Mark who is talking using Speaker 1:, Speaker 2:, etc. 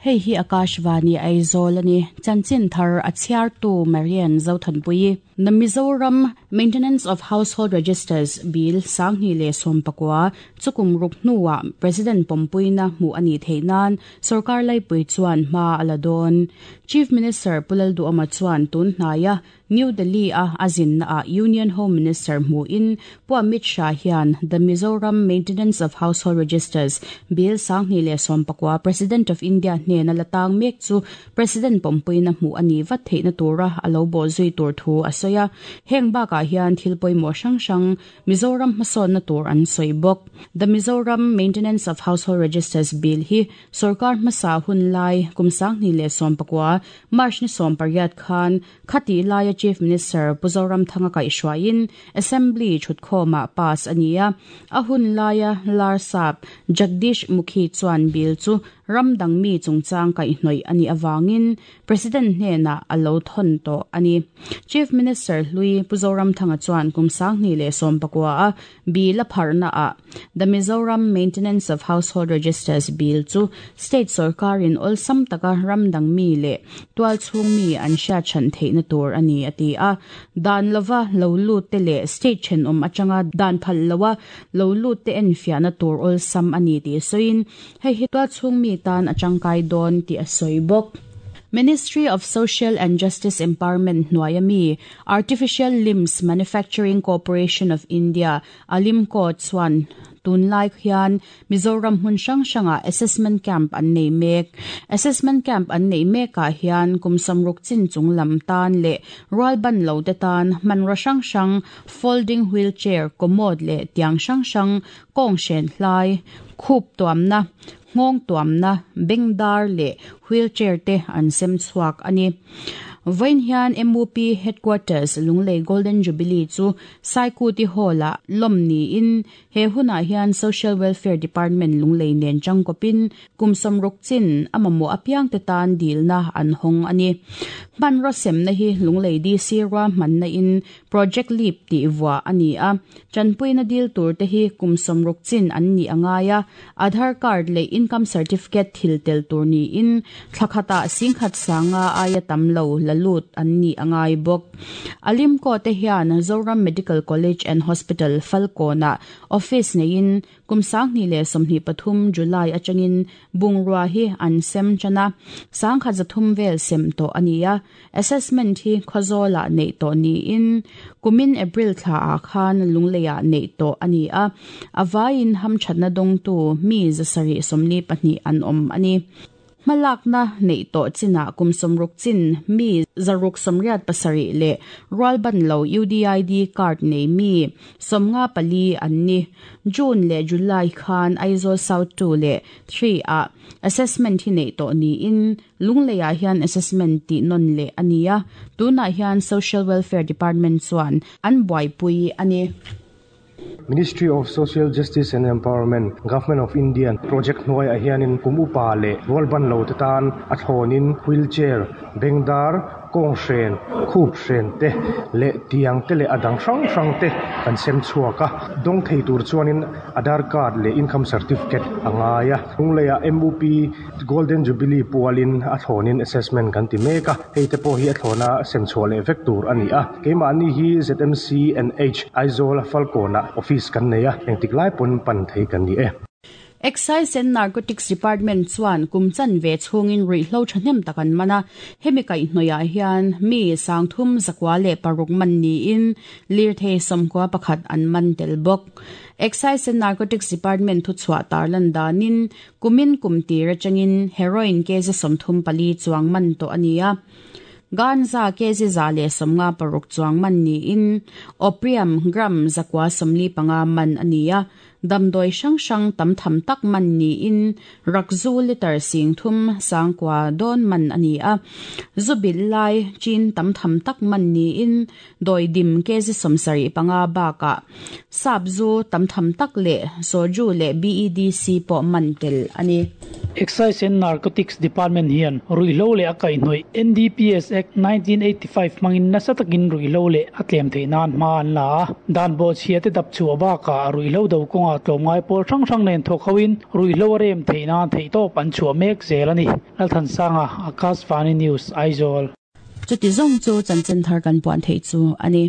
Speaker 1: Hei hi Akashvani Aizawl a ni. Chanchin thar a chhiartu Marian Zothanpuii. The Mizoram Maintenance of Household Registers Bill 2019 chu kum ruk hnuah President pawmpuina hmuh a nih theih nan Sorkar laipui chuan hma a la dawn. Chief Minister Pu Lalduhawma chuan tun hnaia New Delhi a a zinna ah Union Home Minister hmuhin Pu Amit Shah hian The Mizoram Maintenance of Household Registers Bill 2019 President of India hnena la tang mek chu President pawmpuina hmuh a nih vat theihna tura a lo bawhzui tur thu a sawi a. Heng bakah hian thil pawimawh hrang hrang Mizoram hmasawnna tur an sawi bawk. The Mizoram Maintenance of Household Registers Bill hi sorkar hmasa hun lai kum 2019 March ni 18 khan Khatih laia Chief Minister Pu Zoramthanga kaihhruaiin Assembly thutkhawmah pass a ni a, a hun laia Larsap Jagdish Mukhi chuan bill chu ram dang mi chungchang kaihhnawih a nih avangin President hnenah a lo thawn tawh a ni. Chief Minister hlui Pu Zoramthanga chuan kum 2019 a Bill a pharhnaah The Mizoram Maintenance of Household Registers Bill chu state sorkarin awlsam taka ram dang mi leh tualchhung mi an hriat hran theihna tur a ni a ti a. Dan lova lo lut te leh state thenawm atanga dan phal loa lo lut te enfiahna tur awlsam a ni tih sawiin hei hi tualchhung mi tan a tangkai dawn tih a sawi bawk. Ministry of Social and Justice Empowerment hnuaia mi Artificial Limbs Manufacturing Corporation of India, ALIMCO, chuan tunlai hian Mizoram hmun hrang hrangah assessment camp an nei mek. Assessment camp an neih mekah hian kum sawmruk chin chung lam tan leh rualban lo te tan hmanraw hrang hrang, folding wheelchair, commode leh tiang hrang hrang, kawng hren hlai, khup tuamna, nghawng tuamna, bengdar leh wheelchair te an sem chhuak a ni. Vawiin hian MUP Headquarters Lunglei Golden Jubilee chu Saikuti Hall-ah lawm niin he hunah hian Social Welfare Department Lunglei nen tangkawpin kum sawmruk chin a mamawh apiangte tan dilna an hawng a ni. Hmanraw semna hi Lunglei DC ruahmanna in Project Leap tih vuah a ni a, tanpuina dil tur te hi kum 60 chin an nih a ngai a, Aadhaar card leh Income Certificate thil tel tur niin thla khatah singkhat sanga aia tam lo la lut an nih a ngai bawk. Alimco te hian Zoram Medical College and Hospital Falkawnah office neiin Kum 2023 July atangin bungrua hi an sem tan a, 1300 vel sem tawh a ni a. Assessment hi Khawzawlah neih tawh niin kumin April thlaah khan Lungleiah neih tawh a ni a. A vaiin hamthatna dawngtu mi 742 an awm a ni. Hmalakna neih tawh chinah kum 60 chin mi 687 leh rualban lo UDID card nei mi 54 an ni. June leh July khan Aizawl South 2 leh 3 ah assessment hi neih tawh niin Lungleiah hian assessment tih nawn leh a ni a, tunah hian Social Welfare Department chuan an buaipui a ni.
Speaker 2: Ministry of Social Justice and Empowerment, Government of India project hnuaiah hianin kum upa leh rualban lo te tan a thlawnin wheelchair, bengdar, kawng hren, khup hren te leh tiang te leh a dang hrang hrang te kan sem chhuak a. Dawng thei tur chuanin Aadhaar card leh Income Certificate a ngai a. Lungleiah MUP Golden Jubilee pualin a thlawnin assessment kan ti mek a, hei te pawh hi a thlawna sem chhuah leh vek tur a ni a. Keimahni hi ZMC and H Aizawl Falkawnah office kan nei a, engtik lai pawn pan thei kan ni e.
Speaker 1: Excise and Narcotics Department chuan kum chanve chhungin ruihhlo thahnem tak an man a, hemi kaihhnawihah hian mi 3,106 man niin lirthei 91 an man tel bawk. Excise and Narcotics Department thuchhuah tarlan danin Kumin kum tir atangin heroin kg 34 chuang man tawh a ni a. Ganja kg 156 chuang man niin opium gram 945 man a ni a. Damdawi hrang hrang tam tham tak man niin rakzu litre 30 9,000 dawn man a ni a. Zu bilh lai chin tam tham tak man niin Dawidim kg 75 bakah sap zu tam tham tak leh soju leh BEDC pawh man tel a ni.
Speaker 3: Excise and Narcotics Department hian ruihhlo leh a kaihhnawih NDPS Act 1985 hmangin nasa takin ruihhlo leh a tlem theih nan hma an la a. Dan bawhchhia te dap chhuah bakah ruihhlo do kawngah tlawmngai pawl hrang hrang nen thawk hoin ruihhlo a rem theih nan theihtawp an chhuah mek zel a ni. Lalthansanga, Akashvani News, Aizawl.
Speaker 1: Chuti zawng chu chanchin thar kan puan theih chu a ni.